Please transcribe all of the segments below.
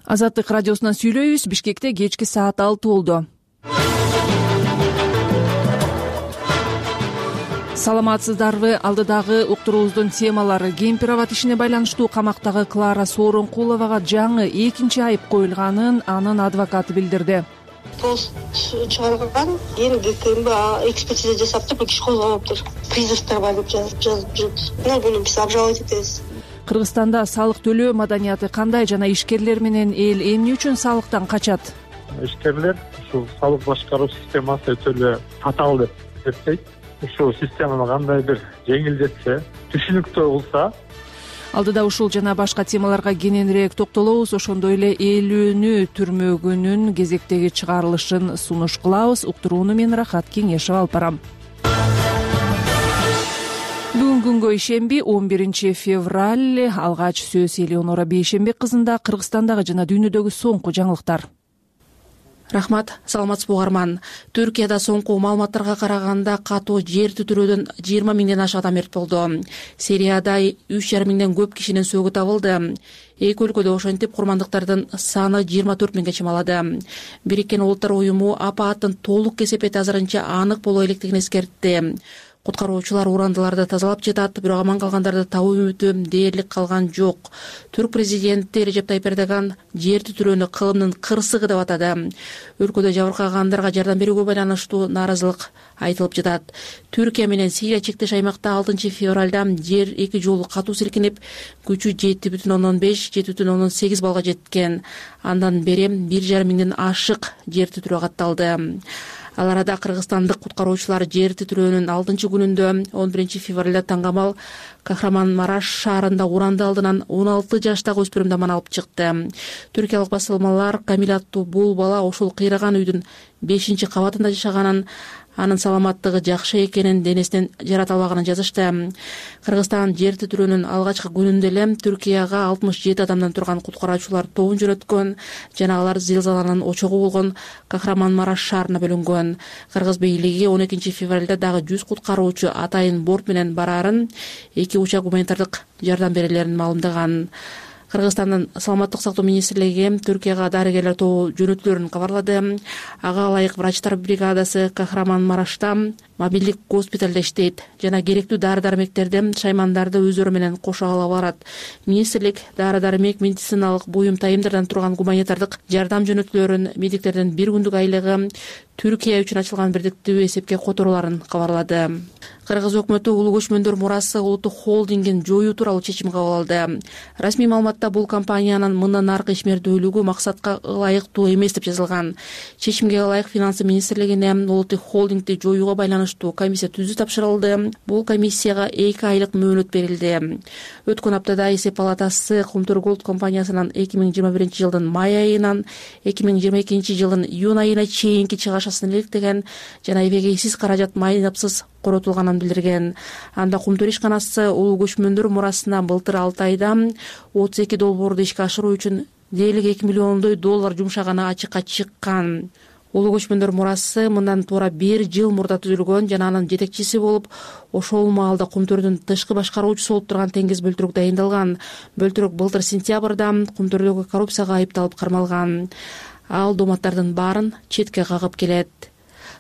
Азаттык радиосунан сүйлөйбүз. Бишкекте кечки саат 6 болду. Саламатсыздарбы? Алдыдагы уктуруубуздун темалары: Кемпир-абад ишине байланыштуу камактагы Клара Сооронкуловага жаңы 2-чи айып коюлганын анын адвокаты билдирди. Пост чыгарган, эми ГКМБ экспертиза жасап туруп иш козгоноптур. Призывтар бар деп жазып жүрүт. Буну биз обжаловать этебиз. Кыргызстанда салык төлөө маданияты кандай жана ишкерлер менен эл эмне үчүн салыктан качат? Ишкерлер ушул салык башкаруу системасы өтө эле татаал деп эсептейт. Ушул системаны кандайдыр жеңилдетсе, түшүнүктүү кылса. Алдыда ушул жана башка темаларга кененирээк токтолобуз. Ошондой эле ээлүүнү түрмөгүнүн кезектеги чыгарылышын сунуш кылабыз. Уктурууну мен Рахат Кеңешева алып барам. Бүгүн күнгө ишемби 11 февраль. Алгач сөз Элеонора Бейшембек кызында Кыргызстандагы жана дүйнөдөгү соңку жаңылыктар. Рахмат, саламатсызбы угарман. Түркияда соңку маалыматтарга караганда катуу жер титирөөдөн 20 миңден ашык адам мерт болду. Сирияда 3,5 миңден көп кишинин сөөгү табылды. Эки өлкөдө ошентип курмандыктардын саны 24 миңге чамалады. Бириккен Улуттар уюму апааттын толук кесепети азырынча анык боло электигин эскертти. Куткаруучулар урандыларды тазалап жатат, бирок аман калгандарды табуу үмүтү дээрлик калган жок. Түрк президенти Режеп Тайип Эрдоган жер титирөөнү кылымдын кырсыгы деп атады. Өлкөдө жабыркагандарга жардам берүүгө байланыштуу нааразылык айтылып жатат. Түркия менен Сирия чектеш аймакта 6 февралда жер эки жолу катуу силкинип, күчү 7,5-7,8 балга жеткен. Андан бери 1,5 миңден ашык жер титирөө катталды. Ал арада кыргызстандык куткаруучулар жер титирөөнүн 6 күнүндө 11 февралда Таңгамал Кахраман-Мараш шаарында уранды алдынан 16 жаштагы өспүрүмдү аман алып чыкты. Түркиялык басылмалар Камил аттуу бул бала ошол кыйраган үйдүн 5-кабатында жашаганын, анын саламаттыгы жакшы экенин, денесинен жарат албаганын жазышты. Кыргызстан жер титирөөнүн алгачкы күнүндө эле Түркияга 67 адамдан турган куткаруучулар тобун жөнөткөн жана алар зилзаланын очогу болгон Кахраман-Мараш шаарына бөлүнгөн. Кыргыз бийлиги 12 февралда дагы 100 куткаруучу атайын борт менен бараарын, 2 учак гуманитардык жардам берелерин маалымдаган. Кыргызстандын саламаттык сактоо министрлиги Түркияга дарыгерлер тобу жөнөтүлөрүн кабарлады. Ага ылайык врачтар бригадасы Кахраман-Марашта мобилдик госпиталда иштейт жана керектүү дары-дармектерди, шаймандарды өздөрү менен кошо алып барат. Министрлик дары-дармек, медициналык буюм, тайымдардан турган гуманитардык жардам жөнөтүлөрүн, медиктердин 1 күндүк айлыгы, Түркия үчүн ачылган бирдиктүү эсепке которууларын кабарлады. Кыргыз өкмөтү Улуу Көчмөндөр Мурасы улуттук холдингин жоюу тууралуу чечим кабыл алды. Расмий маалыматта бул компаниянын мындан аркы ишмердүүлүгү максатка ылайыктуу эмес деп жазылган. Чечимге ылайык Финансы министрлигине улуттук холдингди жоюуга байланыштуу комиссия түзүү тапшырылды. Бул комиссияга 2 айлык мөөнөт берилди. Өткөн аптада эсеп палатасы Кумтур Голд компаниясынын 2021 жылдын май айынан 2022 жылдын июнь айына чейинки чыгашасын иликтеген жана эбегейсиз каражат майнапсыз коротулганын билдирген. Анда Кумтур ишканасы Улуу Көчмөндөр Мурасына былтыр 6 айда 32 долбоорду ишке ашыруу үчүн дээрлик 2 миллиондой доллар жумшаганы ачыкка чыккан. Улуу Көчмөндөр Мурасы мындан туура 1 жыл мурда түзүлгөн жана анын жетекчиси болуп, ошол маалда Кумтурдун тышкы башкаруучусу болуп турган Теңиз Бөлтүрүк дайындалган. Бөлтүрүк былтыр сентябрда Кумтурдогу коррупцияга айыпталып кармалган. Ал дооматтардын баарын четке кагып келет.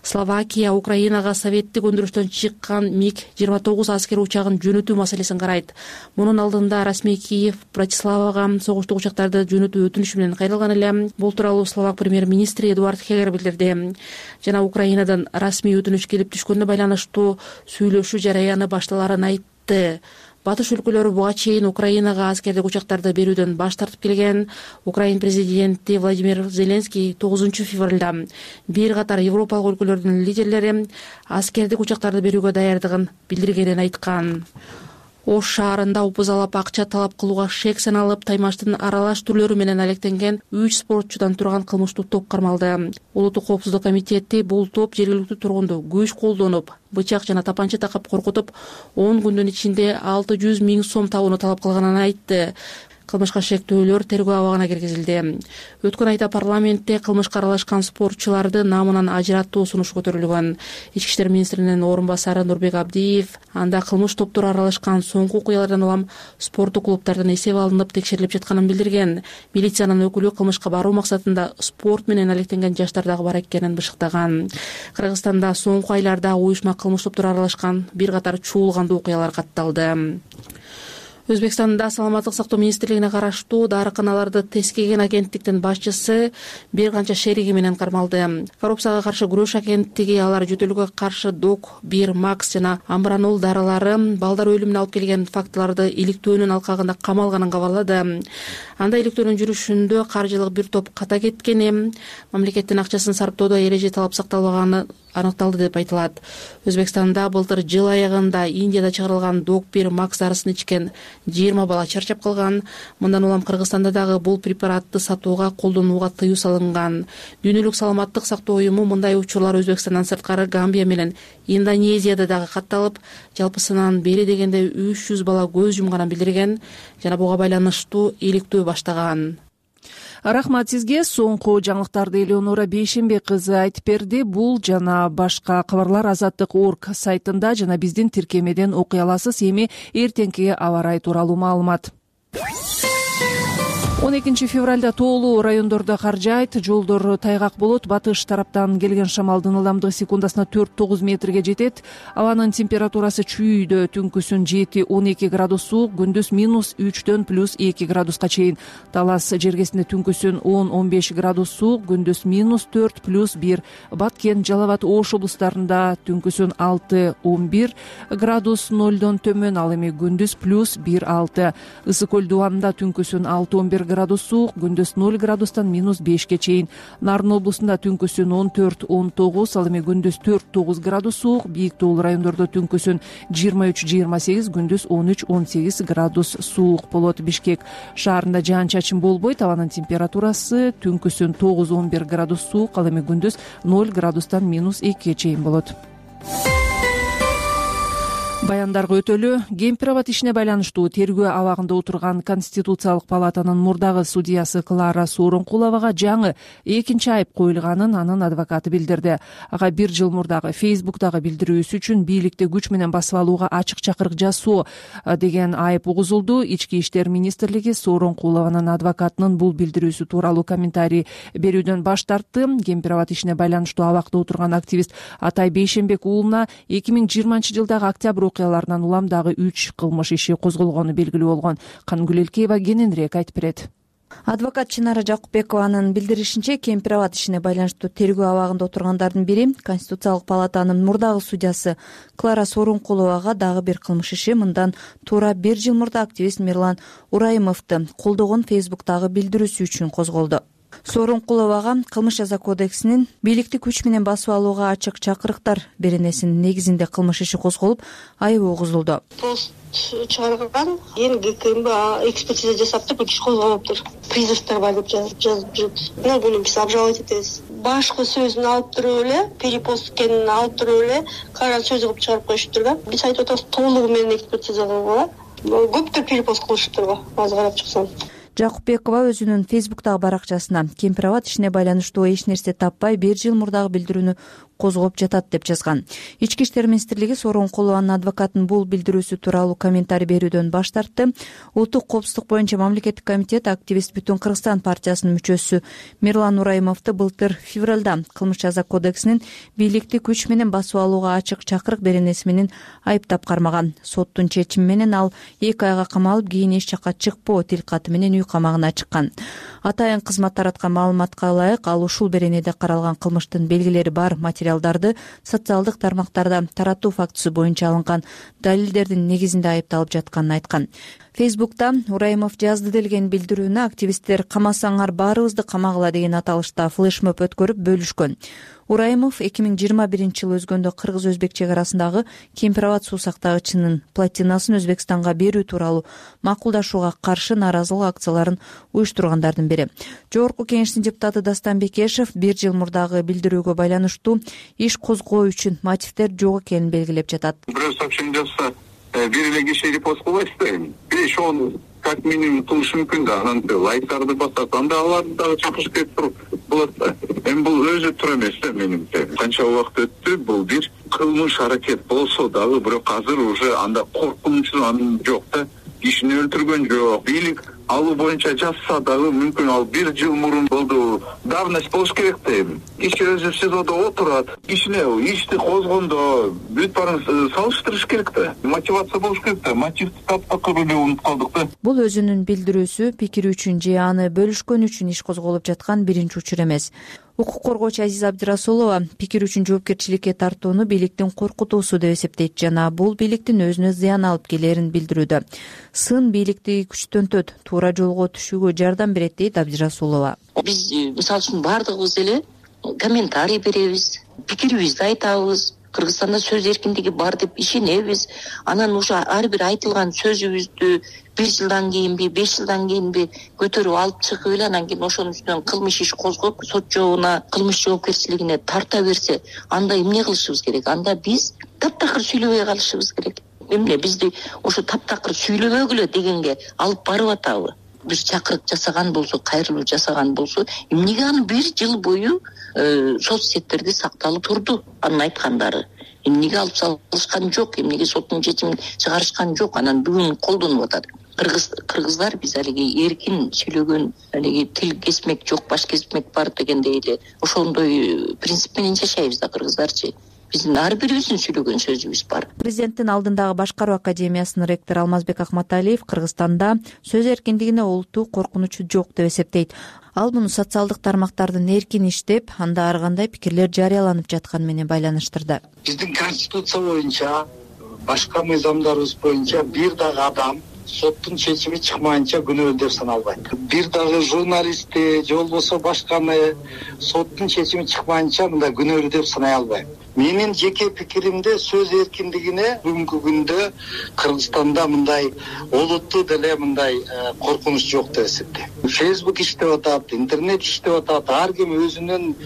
Словакия Украинага советтик өндүрүштөн чыккан МиГ-29 аскер учагын жөнөтүү маселесин карайт. Мунун алдында расмий Киев Братиславага согуштук учактарды жөнөтүү өтүнүшү менен кайрылган эле. Бул тууралуу словак премьер-министри Эдуард Хегер билдирди. Жана Украинадан расмий өтүнүш келип түшкөнүнө байланыштуу сүйлөшүү жараяны башталарын айтты. Батыш өлкөлөрү буга чейин Украинага аскердик учактарды берүүдөн баш тартып келген. Украин президенти Владимир Зеленский 9 февралда бир катар европалык өлкөлөрдүн лидерлери аскердик учактарды берүүгө даярдыгын билдиргенин айткан. Ош шаарында упузалап акча талап кылууга шек саналып, Таймаштын аралаш түрлөрү менен алектенген 3 спортчудан турган кылмыштуу топ кармалды. Улуттук коопсуздук комитети бул топ жергиликтүү тургунду күч колдонуп, бычак жана тапанча такап коркутуп, 10 күндүн ичинде 600 000 сом табууну талап кылганын айтты. кылмышка шектөөлөр тергөө абагына киргизилди. Өткөн айда парламентте кылмышка аралашкан спортчуларды намынан ажыраттуу сунуш көтөрүлгөн. Ички иштер министринин орун басары Нурбек Абдиев анда кылмыш топтуру аралашкан соңку окуялардан улам спорттук клубтардын эсеби алынып текшерилип жатканын билдирген. Милициянын өкүлү кылмышка баруу максатында спорт менен алектенген жаштар дагы бар экенин бышыктаган. Кыргызстанда соңку айларда уюшма кылмыш топтуру аралашкан бир катар чуулгандуу окуялар катталды. Өзбекстанда саламаттык сактоо министрлигине караштуу дарыканаларды тескеген агенттиктин башчысы бир канча шериги менен кармалды. Коррупцияга каршы күрөш агенттиги алар жөтөлгө каршы Док-1 Макс жана Амбранол дарылары балдар өлүмүнө алып келген фактыларды иликтөөнүн алкагында камалганын кабарлады. Анда иликтөөнүн жүрүшүндө каржылык бир топ ката кеткени, мамлекеттин акчасын сарптоодо эреже талап сакталбаганы аныкталды деп айтылат. Өзбекстанда былтыр жыл аягында Индияда чыгарылган Док-1 Макс дарысын ичкен 20 бала чарчап калган. Мындан улам Кыргызстанда дагы бул препаратты сатууга, колдонууга тыюу салынган. Дүйнөлүк саламаттык сактоо уюму мындай учурлар Өзбекстандан сырткары Гамбия менен Индонезияда дагы катталып, жалпысынан бери дегенде 300 бала көз жумганын билдирген жана буга байланыштуу иликтөө баштаган. Рахмат сизге. Соңку жаңылыктарды Элеонора Бейшембек кызы айтып берди. Бул жана башка кабарлар Азаттык.орг сайтында жана биздин тиркемеден окуй аласыз. Эми эртеңки аба ырайы тууралуу маалымат. 12 февралда тоолуу райондордо кар жаайт, жолдор тайгак болот. Батыш тараптан келген шамалдын ылдамдыгы секундасына 4-9 метрге жетет. Абанын температурасы чүйүүдө түнкүсүн 7-12 градус суук, күндүз -3-дөн +2 градуска чейин. Талас жергесинде түнкүсүн 10-15 градус суук, күндүз -4 +1. Баткен, Жалал Абад, Ош облустарында түнкүсүн 6-11 градус 0дон төмөн, ал эми күндүз +1-6. Ысык көл дубанында түнкүсүн 6-11 градус суук, күндүз 0 градустан -5ке чейин. Нарын облусунда түнкүсүн 14-19, ал эми күндүз 4-9 градус суук. Бийик тоолуу райондордо түнкүсүн 23-28, күндүз 13-18 градус суук болот. Бишкек шаарында жаан-чачын болбойт. Абанын температурасы түнкүсүн 9-11 градус суук, ал эми күндүз 0 градустан -2ке чейин болот. Баяндарга өтөлү. Кемпир-Абад ишине байланыштуу тергөө абагында отурган Конституциялык палатанын мурдагы судьясы Клара Сооронкуловага жаңы экинчи айып коюлганын анын адвокаты билдирди. Ага 1 жыл мурдагы Facebook'тагы билдирүүсү үчүн бийликти күч менен басып алууга ачык чакырык жасоо деген айып угузулду. Ички иштер министрлиги Сооронкулованын адвокатынын бул билдирүүсү тууралуу комментарий берүүдөн баш тартты. Кемпир-Абад ишине байланыштуу абакта отурган активист Атай Бейшембек уулуна 2020-жылдагы октябрь окуяларынан улам дагы 3 кылмыш иши козголгону белгилүү болгон. Кангүл Элкеева кененирээк айтып берет. Адвокат Чынара Жакупбекованын билдиришинче, Кемпир-Абад ишине байланыштуу тергөө абагында отургандардын бири Конституциялык палатанын мурдагы судьясы Клара Сооронкуловага дагы бир кылмыш иши мындан туура 1 жыл мурда активист Мирлан Ураимовду колдогон Facebook'тагы билдирүүсү үчүн козголду. Сооронкуловага Кылмыш жаза кодексинин бийликти күч менен басып алууга ачык чакырыктар беренесинин негизинде кылмыш иши козголуп, айыбы угузулду. Пост чыгарган, эми ГКМБ экспертиза жасап туруп иш козголуптур. Призывтар бар деп жазып жүрөт. Буну биз обжаловать этебиз. Башкы сөзүн алып туруп эле, перепост экенин алып туруп эле, кара сөз кылып чыгарып коюшуптур да. Биз айтып атабыз, толугу менен экспертиза кылгыла. Көптөр перепост кылышыптыр, азыр карап чыксам. Жакупбекова өзүнүн Facebook'тагы баракчасына Кемпир-Абад ишине байланыштуу эч нерсе таппай 1 жыл мурдагы билдирүүнү козгоп жатат деп жазган. Ички иштер министрлиги Сооронкулованын адвокатынын бул билдирүүсү тууралуу комментарий берүүдөн баш тартты. Улуттук коопсуздук боюнча мамлекеттик комитет активист Бүтүн Кыргызстан партиясынын мүчөсү Мирлан Ураимовду былтыр февралда Кылмыш жаза кодексинин бийликти күч менен басып алууга ачык чакырык беренеси менен айыптап кармаган. Соттун чечими менен ал 2 айга камалып, кийин эч жакка чыкпоо тилкаты менен үй камагына чыккан. Атайын кызмат тараткан маалыматка ылайык, ал ушул беренеде каралган кылмыштын белгилери бар материалдарды социалдык тармактарда таратуу фактысы боюнча алынган далилдердин негизинде айыпталып жатканын айткан. Facebook'та Ураимов жазды делген билдирүүнү активисттер «Камасаңар баарыбызды камагыла» деген аталышта флешмоб өткөрүп бөлүшкөн. Ураимов 2021-жылы өзгөндө кыргыз-өзбек чек арасындагы Кемпир-Абад суу сактагычынын плотинасын Өзбекстанга берүү тууралуу макулдашууга каршы нааразылык акцияларын уюштургандардын бири. Жогорку кеңештин депутаты Дастан Бекешев 1 жыл мурдагы билдирүүгө байланыштуу иш козгоо үчүн мотивдер жок экенин белгилеп жатат. Бирөө сообщение жазса, бир эле киши репост кылбайсыз да, 5-10 как минимум кылышы мүмкүн да. Анан лайктарды басат, анда аларды дагы чакырып кетип туруп болот да. Эми бул өзү туура эмес да менимче. Канча убакыт өттү, бул бир кылмыш аракет болсо дагы, бирок азыр уже анда коркунучу анын жок да. Кишини өлтүргөн жок. Бийлик алуу боюнча жазса дагы мүмкүн ал 1 жыл мурун болду. Давность болуш керек да эми. Киши өзү СИЗОдо отурат. Кишине ишти козгондо бүт баарын салыштырыш керек да. Мотивация болуш керек да. Мотивди таптакыр эле унутуп калдык да. Бул өзүнүн билдирүүсү, пикири үчүн же аны бөлүшкөн үчүн иш козголуп жаткан биринчи учур эмес. Укук коргоочу Азиза Абдирасулова пикир үчүн жоопкерчиликке тартууну бийликтин коркутуусу деп эсептейт жана бул бийликтин өзүнө зыян алып келерин билдирүүдө. Сын бийликти күчтөнтөт, туура жолго түшүүгө жардам берет дейт Абдирасулова. Биз мисалы үчүн баардыгыбыз эле комментарий беребиз, пикирибизди айтабыз. Кыргызстанда сөз эркиндиги бар деп ишенебиз. Анан уже ар бир айтылган сөзүбүздү 1 жылдан кийинби, 5 жылдан кийинби көтөрүп алып чыгып эле анан кийин ошонун үстүнөн кылмыш иш козгоп, сот жообуна, кылмыш жоопкерчилигине тарта берсе, анда эмне кылышыбыз керек? Анда биз таптакыр сүйлөбөй калышыбыз керек. Эмне бизди ошо таптакыр сүйлөбөгүлө дегенге алып барып атабы? Бир чакырык жасаган болсо, кайрылуу жасаган болсо, эмнеге аны 1 жыл бою соц сеттерде сакталып турду? Анын айткандары эмнеге алып салышкан жок, эмнеге соттун чечимин чыгарышкан жок? Анан бүгүн колдонуп атат. Кыргыздар биз алиги эркин сүйлөгөн, алиги тил кесмек жок, баш кесмек бар дегендей эле ошондой принцип менен жашайбыз да кыргыздарчы. Биздин ар бирибиздин сүйлөгөн сөзүбүз бар. Президенттин алдындагы башкаруу академиясынын ректору Алмазбек Акматалиев Кыргызстанда сөз эркиндигине олуттуу коркунучу жок деп эсептейт. Ал муну социалдык тармактардын эркин иштеп, анда ар кандай пикирлер жарыяланып жатканы менен байланыштырды. Биздин конституция боюнча, башка мыйзамдарыбыз боюнча бир дагы адам соттун чечими чыкмайынча күнөөлүү деп саналбайт. Бир дагы журналистти же болбосо башканы соттун чечими чыкмайынча мындай күнөөлүү деп санай албайм. Менин жеке пикиримде сөз эркиндигине бүгүнкү күндө Кыргызстанда мындай олуттуу деле мындай коркунуч жок деп эсептейм. Facebook иштеп атат, интернет иштеп атат, ар ким өзүнүн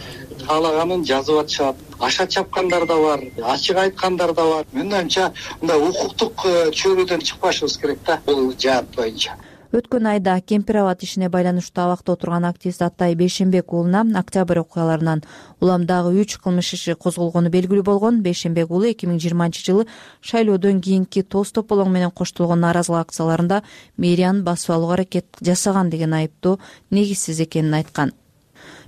каалаганын жазып атышат. Аша чапкандар да бар, ачык айткандар да бар. Менин оюмча мындай укуктук чөйрөдөн чыкпашыбыз керек да бул жаат боюнча. Өткөн айда Кемпир абад ишине байланыштуу абакта отурган активист Атай Бейшенбек уулуна октябрь окуяларынан улам дагы 3 кылмыш иши козголгону белгилүү болгон. Бейшенбек уулу 2020-жылы шайлоодон кийинки тоз тополоң менен коштолгон нааразылык акцияларында мэриянын басып алууга аракет жасаган деген айыптоо негизсиз экенин айткан.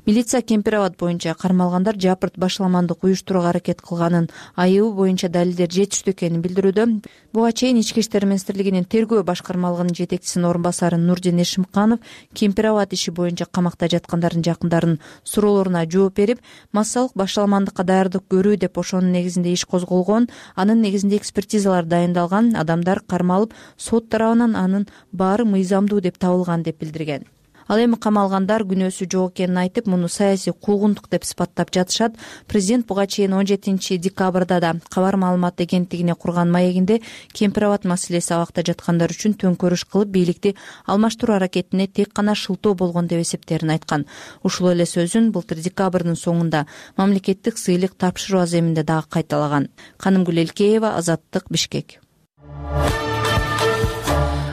Милиция Кемпир абад боюнча кармалгандар жапырт башаламандык уюштурууга аракет кылганын, айыбы боюнча далилдер жетиштүү экенин билдирүүдө. Буга чейин Ички иштер министрлигинин тергөө башкармалыгынын жетекчисинин орун басары Нурдин Эшимканов Кемпир абад иши боюнча камакта жаткандардын жакындарынын суроолоруна жооп берип, массалык башаламандыкка даярдык көрүү деп ошонун негизинде иш козголгон, анын негизинде экспертизалар дайындалган, адамдар кармалып, сот тарабынан анын баары мыйзамдуу деп табылган деп билдирген. Ал эми камалгандар күнөөсү жок экенин айтып, муну саясий куугунтук деп сыпаттап жатышат. Президент буга чейин 17 декабрда да кабар маалымат агенттигине курган маегинде Кемпир абад маселеси абакта жаткандар үчүн төңкөрүш кылып, бийликти алмаштыруу аракетине тек гана шылтоо болгон деп эсептерин айткан. Ушул эле сөзүн былтыр декабрдын соңунда мамлекеттик сыйлык тапшыруу аземинде дагы кайталаган. Канымгүл Элкеева, Азаттык, Бишкек.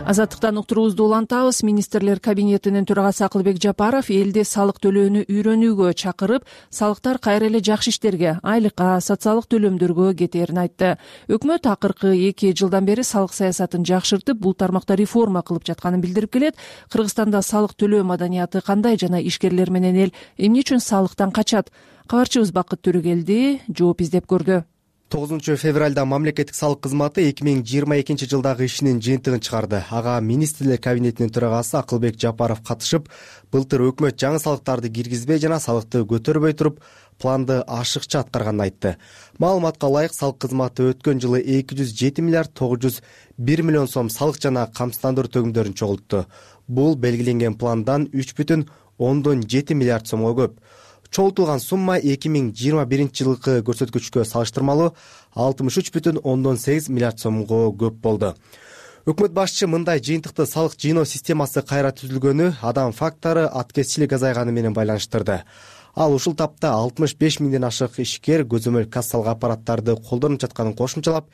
Азаттыктан уктуруубузду улантабыз. Министрлер кабинетинин төрагасы Акылбек Жапаров элди салык төлөөнү үйрөнүүгө чакырып, салыктар кайра эле жакшы иштерге, айлыкка, социалдык төлөмдөргө кетээрин айтты. Өкмөт акыркы 2 жылдан бери салык саясатын жакшыртып, бул тармакта реформа кылып жатканын билдирип келет. Кыргызстанда салык төлөө маданияты кандай жана ишкерлер менен эл эмне үчүн салыктан качат? Кабарчыбыз Бакыт Төрөгелди жооп издеп көрдү. 9 февралда мамлекеттик салык кызматы 2022 жылдагы ишинин жыйынтыгын чыгарды. Ага министрлер кабинетинин төрагасы Акылбек Жапаров катышып, былтыр өкмөт жаңы салыктарды киргизбей жана салыкты көтөрбөй туруп, планды ашыкча аткарганын айтты. Маалыматка ылайык, салык кызматы өткөн жылы 207 миллиард 901 миллион сом салык жана камсыздандыруу төгүмдөрүн чогултту. Бул белгиленген пландан 3,7 миллиард сомго көп. Чогултулган сумма 2021 жылкы көрсөткүчкө салыштырмалуу 63,8 миллиард сомго көп болду. Өкмөт башчы мындай жыйынтыкты салык жыйноо системасы кайра түзүлгөнү адам фактору аткезчилик азайганы менен байланыштырды. Ал ушул тапта 65 миңден ашык ишкер көзөмөл кассалык аппараттарды колдонуп жатканын кошумчалап,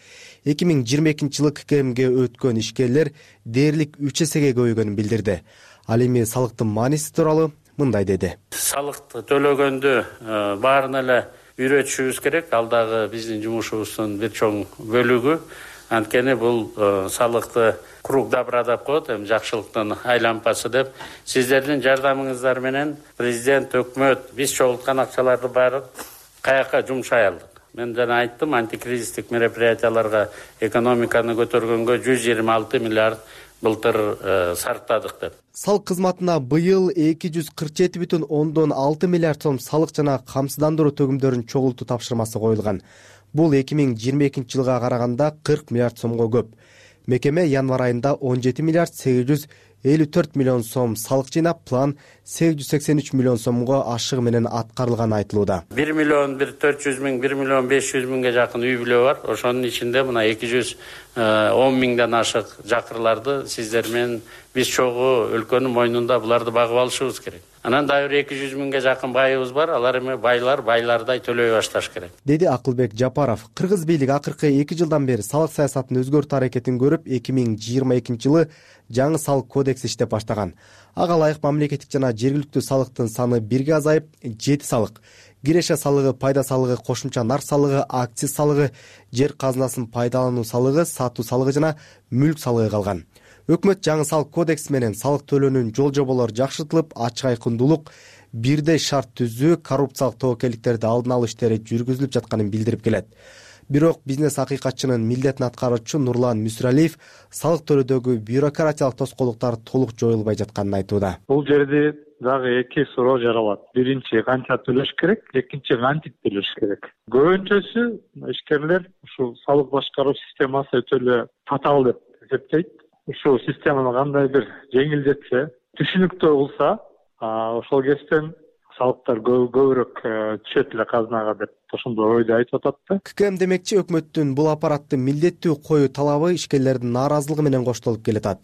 2022 жылы ККМге өткөн ишкерлер дээрлик 3 эсеге көбөйгөнүн билдирди. Ал эми салыктын мааниси тууралуу мындай деди. Салыкты төлөгөндө баарын эле үйрөтүшүбүз керек. Ал дагы биздин жумушубуздун бир чоң бөлүгү. Анткени бул салыкты круг добра деп коет, эми жакшылыктын айлампасы деп. Сиздердин жардамыңыздар менен президент, өкмөт биз чогулткан акчаларды баары каяка жумшай алдык. Мен жана айттым, антикризистик мероприятияларга экономиканы көтөргөнгө 126 миллиард былтыр сарптадык деп. Салык кызматына быйыл 247,6 миллиард сом салык жана камсыздандыруу төгүмдөрүнүн чогултуу тапшырмасы коюлган. Бул 2022 жылга караганда 40 миллиард сомго көп. Мекеме январь айында 17 миллиард 854 миллион сом салык жыйнап, план 883 миллион сомго ашыгы менен аткарылганы айтылууда. 1 миллион 400 миң, 1 миллион 500 миңге жакын үй бүлө бар. Ошонун ичинде мына 210 миңден ашык жакырларды сиздер менен биз чогуу өлкөнүн мойнунда буларды багып алышыбыз керек. Анан дагы 200 миңге жакын байыбыз бар. Алар эми байлардай төлөй башташ керек, деди Акылбек Жапаров. Кыргыз бийлиги акыркы 2 жылдан бери салык саясатын өзгөртүү аракетин көрүп, 2022 жылы жаңы салык кодекс иштеп баштаган. Ага ылайык мамлекеттик жана жергиликтүү салыктын саны 1ге азайып, 7 салык — киреше салыгы, пайда салыгы, кошумча нар салыгы, акциз салыгы, жер казынасын пайдалануу салыгы, сатуу салыгы жана мүлк салыгы калган. Өкмөт жаңы салык кодекси менен салык төлөөнүн жол жоболору жакшыртылып, ачык айкындуулук, бирдей шарт түзүү, коррупциялык тобокелдиктерди алдын алуу иштери жүргүзүлүп жатканын билдирип келет. Бирок бизнес акыйкатчынын милдетин аткаруучу Нурлан Мүсүралиев салык төлөөдөгү бюрократиялык тоскоолдуктар толук жоюлбай жатканын айтууда. Бул жерде дагы 2 суроо жаралат. Биринчи, канча төлөш керек, экинчи, кантип төлөш керек. Көбүнчөсү ишкерлер ушул салык башкаруу системасы өтө эле татаал деп эсептейт. Ушул системаны кандай бир жеңилдетсе, түшүнүктүү кылса, ошол кесиптен салыктар көбүрөөк түшөт эле казынага деп ошондой ойду айтып атат да. ККМ демекчи, өкмөттүн бул аппаратты милдеттүү коюу талабы ишкерлердин нааразылыгы менен коштолуп келатат.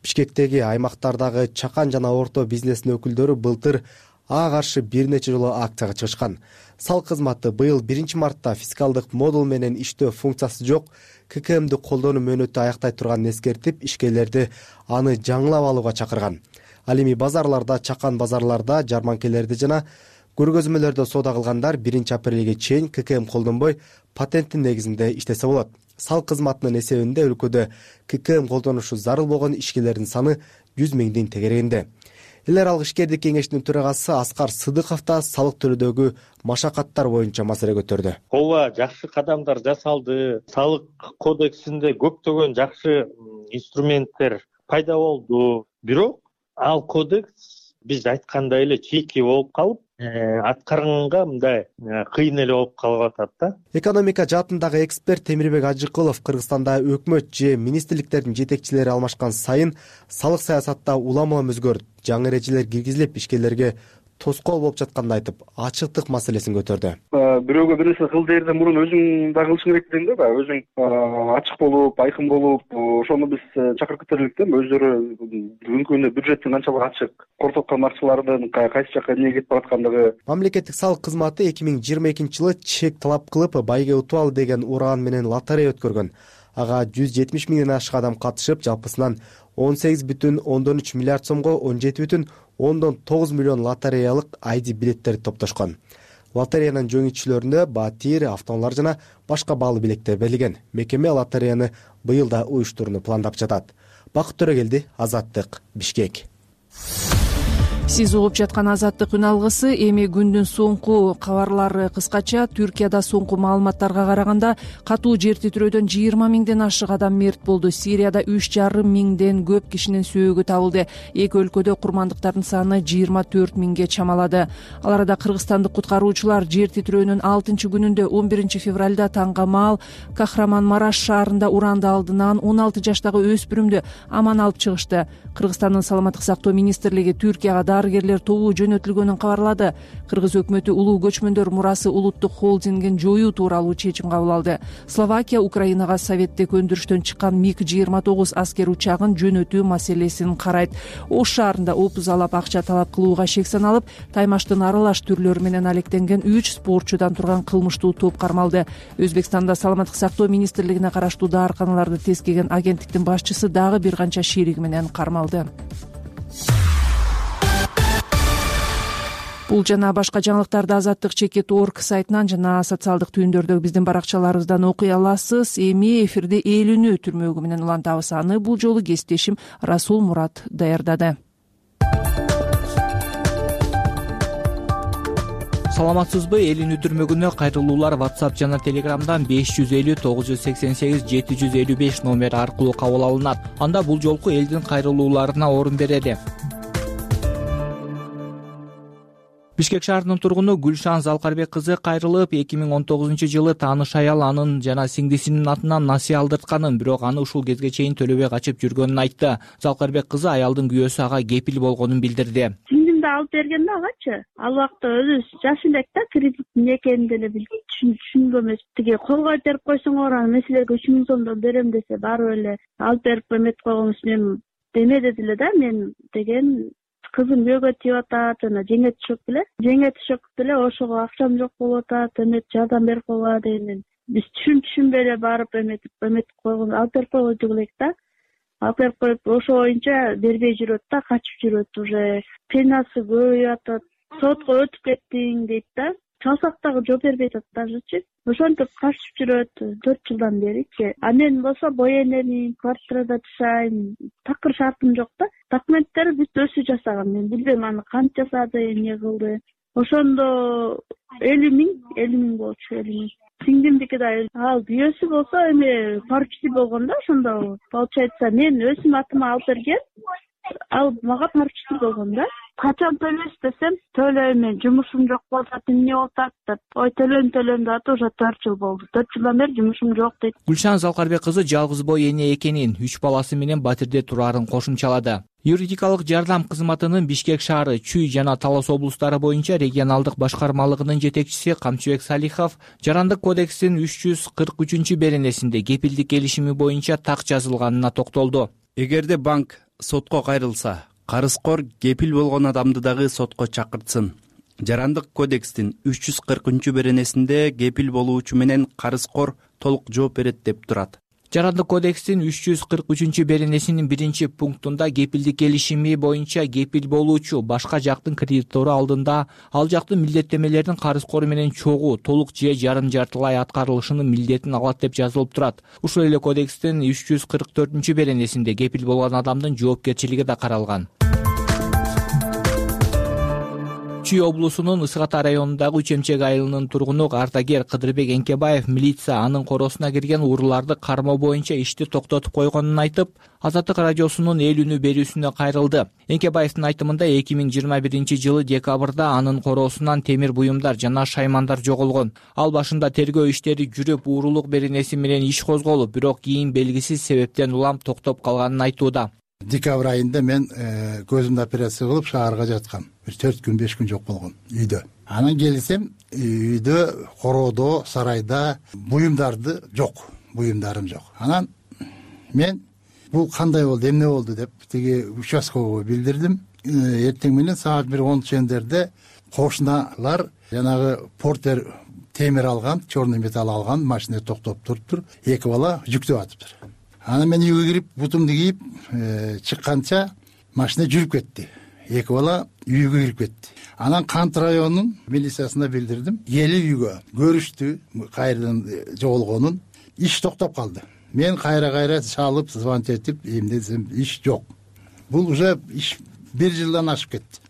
Бишкектеги аймактардагы чакан жана орто бизнестин өкүлдөрү былтыр ага каршы бир нече жолу акцияга чыгышкан. Салык кызматы быйыл 1 мартта фискалдык модул менен иштөө функциясы жок ККМди колдонуу мөөнөтү аяктай турганын эскертип, ишкерлерди аны жаңылап алууга чакырган. Ал эми базарларда, чакан базарларда, жарманкелерди жана көргөзмөлөрдө соода кылгандар 1 апрелге чейин ККМ колдонбой патенттин негизинде иштесе болот. Салык кызматынын эсебинде өлкөдө ККМ колдонушу зарыл болгон ишкерлердин саны 100 миңдин тегерегинде. Эл аралык ишкердик кеңешинин төрагасы Аскар Сыдыков да салык төлөөдөгү машакаттар боюнча маселе көтөрдү. Ооба, жакшы кадамдар жасалды. Салык кодексинде көптөгөн жакшы инструменттер пайда болду. Бирок ал кодекс биз айткандай эле чийки болуп калып, аткарганга мындай кыйын эле болуп калып атат да. Экономика жаатындагы эксперт Темирбек Ажыкулов Кыргызстанда өкмөт же министрликтердин жетекчилери алмашкан сайын салык саясатта улам-улам өзгөрүп, жаңы эрежелер киргизилип, ишкерлерге тоскоол болуп жатканын айтып, ачыктык маселесин көтөрдү. Бирөөгө бир нерсе кыл дээрден мурун өзүң да кылышың керек дейм да, өзүң ачык болуп, айкын болуп, ошону биз чакырып кетерлик да. Өздөрү бүгүнкү күндө бюджеттин канчалык ачык, кортоткон акчалардын кайсы жакка эмне кетип бараткандыгы. Мамлекеттик салык кызматы 2022 жылы чек талап кылып, байге утуп ал деген уран менен лотерея өткөргөн. Ага 170 миңден ашык адам катышып, жалпысынан 18,3 миллиард сомго 17,9 миллион лотереялык ID билеттерди топтошкон. Лотереянын жеңүүчүлөрүнө батир, автоунаалар жана башка баалуу билеттер берилген. Мекеме лотереяны быйыл да уюштурууну пландап жатат. Бакыт Төрөгелди, Азаттык, Бишкек. Сиз угуп жаткан Азаттык үн алгысы. Эми күндүн соңку кабарлары кыскача. Түркияда соңку маалыматтарга караганда катуу жер титирөөдөн 20 миңден ашык адам мерт болду. Сирияда 3,5 миңден көп кишинин сөөгү табылды. Эки өлкөдө курмандыктардын саны 24 миңге чамалады. Ал арада кыргызстандык куткаруучулар жер титирөөнүн 6 күнүндө 11 февралда Таңгамаал, Кахраманмараш шаарында уранды алдынан 16 жаштагы өспүрүмдү аман алып чыгышты. Кыргызстандын саламаттык сактоо министрлиги Түркияга дарыгерлер тобу жөнөтүлгөнүн кабарлады. Кыргыз өкмөтү улуу көчмөндөр мурасы улуттук холдингин жоюу тууралуу чечим кабыл алды. Словакия Украинага советтик өндүрүштөн чыккан МиГ-29 аскер учагын жөнөтүү маселесин карайт. Ош шаарында опузалап акча талап кылууга шек саналып, таймаштын аралаш түрлөрү менен алектенген 3 спортчудан турган кылмыштуу топ кармалды. Өзбекстанда саламаттык сактоо министрлигине караштуу даарканаларды тескеген агенттиктин башчысы дагы бир канча шериги менен кармалды. Бул жана башка жаңылыктарды Азаттык.org сайтынан жана социалдык түйүндөрдөгү биздин баракчаларыбыздан окуй аласыз. Эми эфирде Элүүнү түрмөгү менен улантабыз. Аны бул жолу кесиптешим Расул Мурат даярдады. Саламатсызбы? Элүүнү түрмөгүнө кайрылуулар WhatsApp жана Telegram'дан 550 988 755 номер аркылуу кабыл алынат. Анда бул жолку элдин кайрылууларына орун берели. Бишкек шаарынын тургуну Гүлшан Залкарбек кызы кайрылып, 2019-жылы тааныш аял анын жана сиңдисинин атынан насыя алдыртканын, бирок аны ушул кезге чейин төлөбөй качып жүргөнүн айтты. Залкарбек кызы аялдын күйөөсү ага кепил болгонун билдирди. Сиңдимди алып берген да агачы. Ал убакта өзүбүз жаш элек да, кредит эмне экенин деле түшүнгөн эмес. Тиги колго итерип койсоңор, аны меселерге 3 000 сомдон берем десе, барып эле алып берип эметип койгонбуз. Мен демеди деле да, мен деген кызым күйөөгө тийип атат, жана жеңе түшөк деле ошого акчам жок болуп атат, эмет жардам берип койгула дегенден биз түшүнбөй эле барып эметип койгон, алып берип койдук элек да. Алып берип коюп, ошо боюнча бербей жүрөт да, качып жүрөт, уже пенасы көбөйүп атат. Сотко өтүп кеттиң дейт да. Чалсак дагы жооп бербей атат дажычы. Ошентип качып жүрөт 4 жылдан беричи. А мен болсо бой энемин, квартирада жашайм, такыр шартым жок да. Документтери бүт өзү жасаган. Мен билбейм аны кантип жасады, эмне кылды. Ошондо 50 000 болчу, 50 000. Сиңдимдики да ал күйөөсү болсо эми поручитель болгон да, ошондо получается мен өзүм атыма алып берген, ал мага поручитель болгон да. Качан төлөйсүз десем, төлөйм, мен жумушум жок болуп атат, эмне болуп атат деп. Ой, төлөйм деп уже 4 жыл болду. 4 жылдан бери жумушум жок дейт. Гүлшан Залкарбек кызы жалгыз бой эне экенин, 3 баласы менен батирде турарын кошумчалады. Юридикалык жардам кызматынын Бишкек шаары, Чүй жана Талас облустары боюнча регионалдык башкармалыгынын жетекчиси Камчыбек Салихов Жарандык кодекстин 343 беренесинде кепилдик келишими боюнча так жазылганына токтолду. Эгерде банк сотко кайрылса, карызкор кепил болгон адамды дагы сотко чакыртсын. Жарандык кодекстин 340 беренесинде кепил болуучу менен карызкор толук жооп берет деп турат. Жарандык кодекстин 343 беренесинин 1-пунктунда кепилдик келишими боюнча кепил болуучу башка жактын кредитору алдында ал жактын милдеттемелерин карызкор менен чогуу, толук же жарым жартылай аткарылышынын милдетин алат деп жазылып турат. Ушул эле кодекстин 344 беренесинде кепил болгон адамдын жоопкерчилиги да каралган. Чүй облусунун Ысык Ата районундагы Үчемчек айылынын тургуну ардагер Кыдырбек Энкебаев милиция анын коросуна кирген урууларды кармоо боюнча ишти токтотуп койгонун айтып, Азаттык радиосунун Элүүнү берүүсүнө кайрылды. Энкебаевдин айтымында 2021-жылы декабрда анын короосунан темир буюмдар жана шаймандар жоголгон. Ал башында тергөө иштери жүрүп, уурулук беренеси менен иш козголуп, бирок кийин белгисиз себептен улам токтоп калганын айтууда. Декабрь айында мен көзүмдү операция кылып шаарга жаткам. Бир 4 күн 5 күн жок болгон үйдө. Анан келсем, үйдө, короодо, сарайда буюмдарды жок, буюмдарым жок. Анан мен бул кандай болду, эмне болду деп тиги участкага билдирдим. Эртең менен саат 1:10 чендерде кошуналар жанагы портер темир алган, черный металл алган машина токтоп туруптур, 2 бала жүктөп атыптыр. Анан мен үйгө кирип, бутумду кийип чыкканча машина жүрүп кетти. 2 бала үйгө кирип кетти. Анан Кант районунун милициясына билдирдим. Келип үйгө көрүштү, кайрадан жоголгонун. Иш токтоп калды. Мен кайра чалып, звонок этип, эмне десем, иш жок. Бул уже иш 1 жылдан ашып кетти.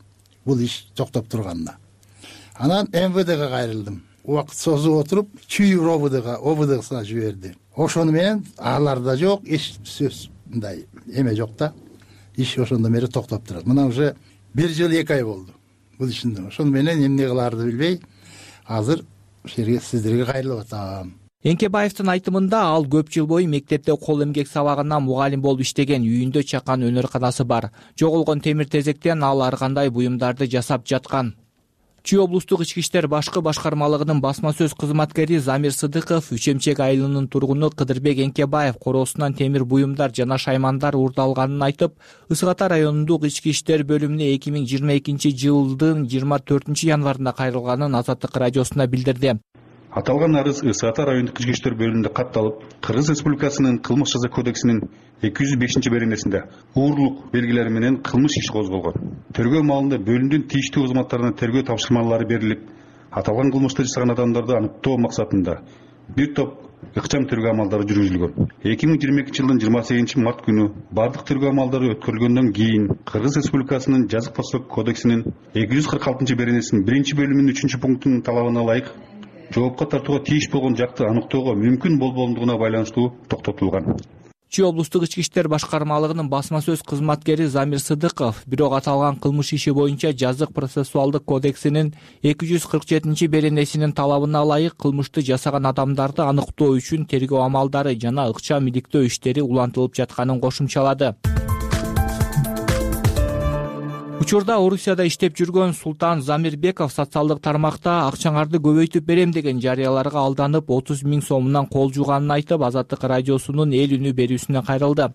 Бул иш токтоп турганына. Анан МВДга кайрылдым. Убакыт созуп отуруп, Чүй ОВДсына жиберди. Ошону менен аларда жок, эч сөз мындай эме жок да. Иш ошондо бери токтоп турат. Мына уже 1 жыл 2 ай болду бул ишинде. Ошону менен эмне кылаарды билбей, азыр сиздерге кайрылып атам. Эңкебаевдин айтымында ал көп жыл бою мектепте кол эмгек сабагынан мугалим болуп иштеген, үйүндө чакан өнөр-канасы бар. Жоголгон темир тезектен ал ар кандай буюмдарды жасап жаткан. Чүй облустук ички иштер башкы башкармалыгынын басма сөз кызматкери Замир Сыдыков Үчемчек айылынын тургуну Кыдырбек Эңкебаев короосунан темир буюмдар жана шаймандар уурдалганын айтып, Ысык Ата районундук ички иштер бөлүмүнө 2022 жылдын 24 январында кайрылганын Азаттык радиосуна билдирди. Аталган арыз Ысык Ата райондук ички иштер бөлүмүндө катталып, Кыргыз Республикасынын кылмыш жаза кодексинин 205-беренесинде уурлук белгилери менен кылмыш иши козголгон. Тергөө маалында бөлүмдүн тийиштүү кызматтарына тергөө тапшырмалары берилип, аталган кылмышты жасаган адамдарды аныктоо максатында бир топ ыкчам тергөө амалдары жүргүзүлгөн. 2022 жылдын 28 март күнү бардык тергөө амалдары өткөрүлгөндөн кийин Кыргыз Республикасынын жазык процессуалдык кодексинин 246-беренесинин 1-бөлүмүнүн 3-пунктунун талабына ылайык жоопко тартууга тийиш болгон жакты аныктоого мүмкүн болбогондугуна байланыштуу токтотулган. Чүй облустук ички иштер башкармалыгынын басма сөз кызматкери Замир Сыдыков бирок аталган кылмыш иши боюнча жазык процессуалдык кодексинин 247-беренесинин талабына ылайык кылмышты жасаган адамдарды аныктоо үчүн тергөө амалдары жана ыкчам иликтөө иштери улантылып жатканын кошумчалады. Учурда Орусияда иштеп жүргөн Султан Замирбеков социалдык тармакта акчаңарды көбөйтүп берем деген жарыяларга алданып 30 000 сомунан кол жууганын айтып, Азаттык радиосунун эл үнү берүүсүнө кайрылды.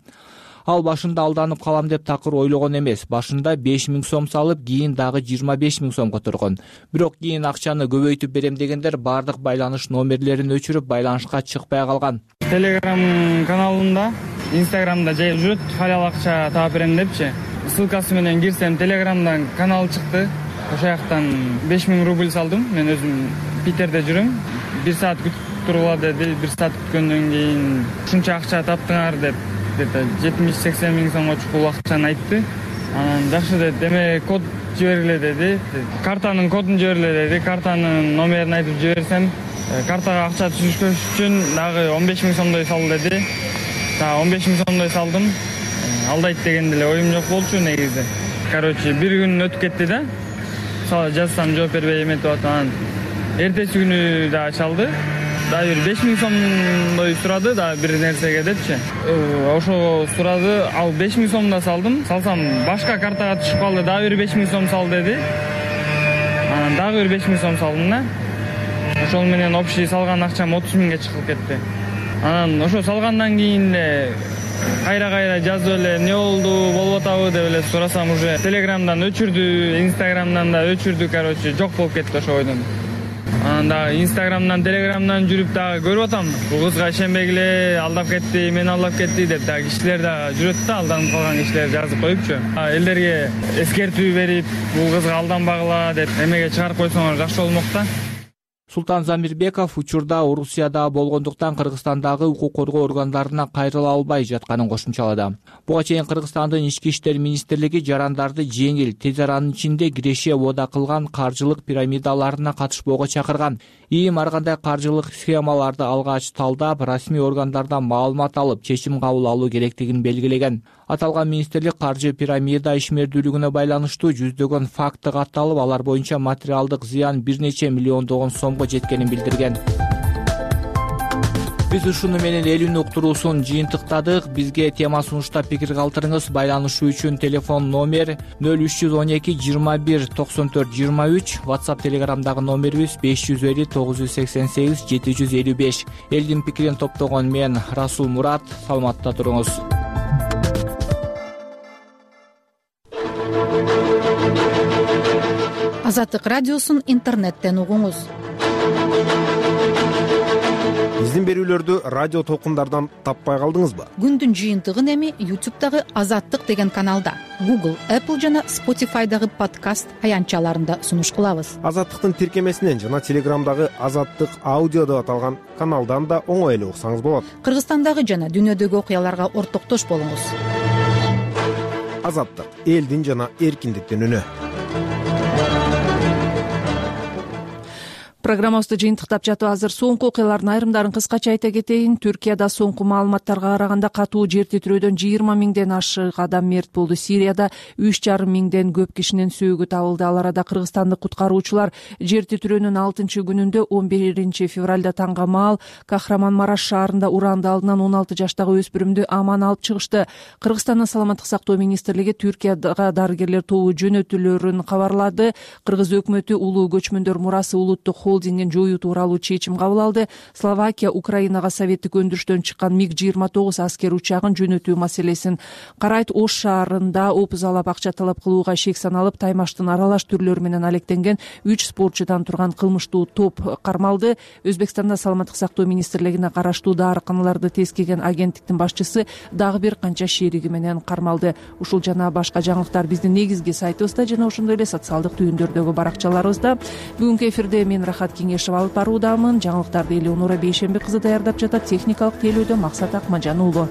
Ал башында алданып калам деп такыр ойлогон эмес. Башында 5 000 сом салып, кийин дагы 25 000 сомго тургон. Бирок кийин акчаны көбөйтүп берем дегендер бардык байланыш номерлерин өчүрүп, байланышка чыкпай калган. Telegram каналында, Instagramда жайып жүрөт, халал акча таап берем депчи. Ссылкасы менен кирсем, Telegramдан канал чыкты. Ошол жактан 5000 рубль салдым. Мен өзүм Питерде жүрөм. 1 саат күтүп тургула деди. 1 саат күткөндөн кийин ушунча акча таптыңар деп, 70-80 000 сомго чукул акчаны айтты. Анан жакшы деди, эме код жибергиле деди. Картанын кодун жибергиле деди. Картанын номерин айтып жиберсем, картага акча түшүрүш үчүн дагы 15 000 сомдой сал деди. 15 000 сомдой салдым. Алдайт деген деле оюм жок болчу негизи. Короче, бир күн өтүп кетти да. Жазсам жооп бербей эметип атам. Эртеси күнү да чалды. Дагы бир 5 000 сомдой сурады да бир нерсеге депчи. Ошого сурады, ал 5 000 сом да салдым. Салсам башка картага түшүп калды, дагы бир 5 000 сом сал деди. Анан дагы бир 5 000 сом салдым да. Ошол менен общий салган акчам 30 000ге чыгып кетти. Анан ошо салгандан кийин эле кайра жазып эле эмне болду, болуп атабы деп эле сурасам, уже Телеграмдан өчүрдү, Инстаграмдан да өчүрдү, короче, жок болуп кетти ошо бойдон. Анан дагы Инстаграмдан, Телеграмдан жүрүп дагы көрүп атам. Бул кызга ишенбегиле, алдап кетти, мени алдап кетти деп дагы кишилер дагы жүрөт да, алданып калган кишилер жазып коюпчу. Элдерге эскертүү берип, бул кызга алданбагыла деп эмеге чыгарып койсоңор жакшы болмок да. Султан Замирбеков учурда Орусияда болгондуктан Кыргызстандагы укук коргоо органдарына кайрыла албай жатканын кошумчалады. Буга чейин Кыргызстандын ички иштер министрлиги жарандарды жеңил, тез аранын ичинде киреше ода кылган каржылык пирамидаларына катышпоого чакырган. ИИМ ар кандай каржылык схемаларды алгач талдап, расмий органдардан маалымат алып, чечим кабыл алуу керектигин белгилеген. Аталган министрлик каржы пирамида ишмердүүлүгүнө байланыштуу жүздөгөн факты катталып, алар боюнча материалдык зыян бир нече миллиондогон сомго жеткенин билдирген. Биз ушуну менен эл үнү уктуруусун жыйынтыктадык. Бизге тема сунуштап пикир калтырыңыз. Байланышуу үчүн телефон номер 0312 21 94 23, WhatsApp Telegramдагы номерибиз 550 988 755. Элдин пикирин топтогон мен Расул Мурат. Саламатта туруңуз. Азаттык радиосун интернеттен угуңуз. Биздин берүүлөрдү радио толкундардан таппай калдыңызбы? Күндүн жыйынтыгын эми YouTube'дагы Азаттык деген каналда, Google, Apple жана Spotify'дагы подкаст аянтчаларында сунуш кылабыз. Азаттыктын тиркемесинен жана Telegramдагы Азаттык аудио деп аталган каналдан да оңой эле уксаңыз болот. Кыргызстандагы жана дүйнөдөгү окуяларга ортоктош болуңуз. Азаттык — элдин жана эркиндиктин үнү. программабызды жыйынтыктап жатып азыр соңку окуялардын айрымдарын кыскача айта кетейин. Түркияда соңку маалыматтарга караганда катуу жер титирөөдөн 20 миңден ашык адам мерт болду. Сирияда 3,5 миңден көп кишинин сөөгү табылды. Ал арада кыргызстандык куткаруучулар жер титирөөнүн 6-күнүндө 11 февралда таңга маал Кахраманмараш шаарында уранды алдынан 16 жаштагы өспүрүмдү аман алып чыгышты. Кыргызстандын саламаттык сактоо министрлиги Түркияга дарыгерлер тобу жөнөтүлөрүн кабарлады. Кыргыз өкмөтү улуу көчмөндөр мурасы улуттук холдингин жоюу тууралуу чечим кабыл алды. Словакия Украинага советтик өндүрүштөн чыккан МиГ-29 аскер учагын жөнөтүү маселесин карайт. Ош шаарында опузалап акча талап кылууга шек саналып, таймаштын аралаш түрлөрү менен алектенген 3 спортчудан турган кылмыштуу топ кармалды. Өзбекстанда саламаттык сактоо министрлигине караштуу дарыканаларды тескеген агенттиктин башчысы дагы бир канча шериги менен кармалды. Ушул жана башка жаңылыктар биздин негизги сайтыбызда жана ошондой эле социалдык түйүндөрдөгү баракчаларыбызда. Бүгүнкү эфирде мен Рахат Кеңешев алып баруудамын. Жаңылыктарды Элеонора Бейшембек кызы даярдап жатат. Техникалык тейлөөдө Максат Акмажан уулу.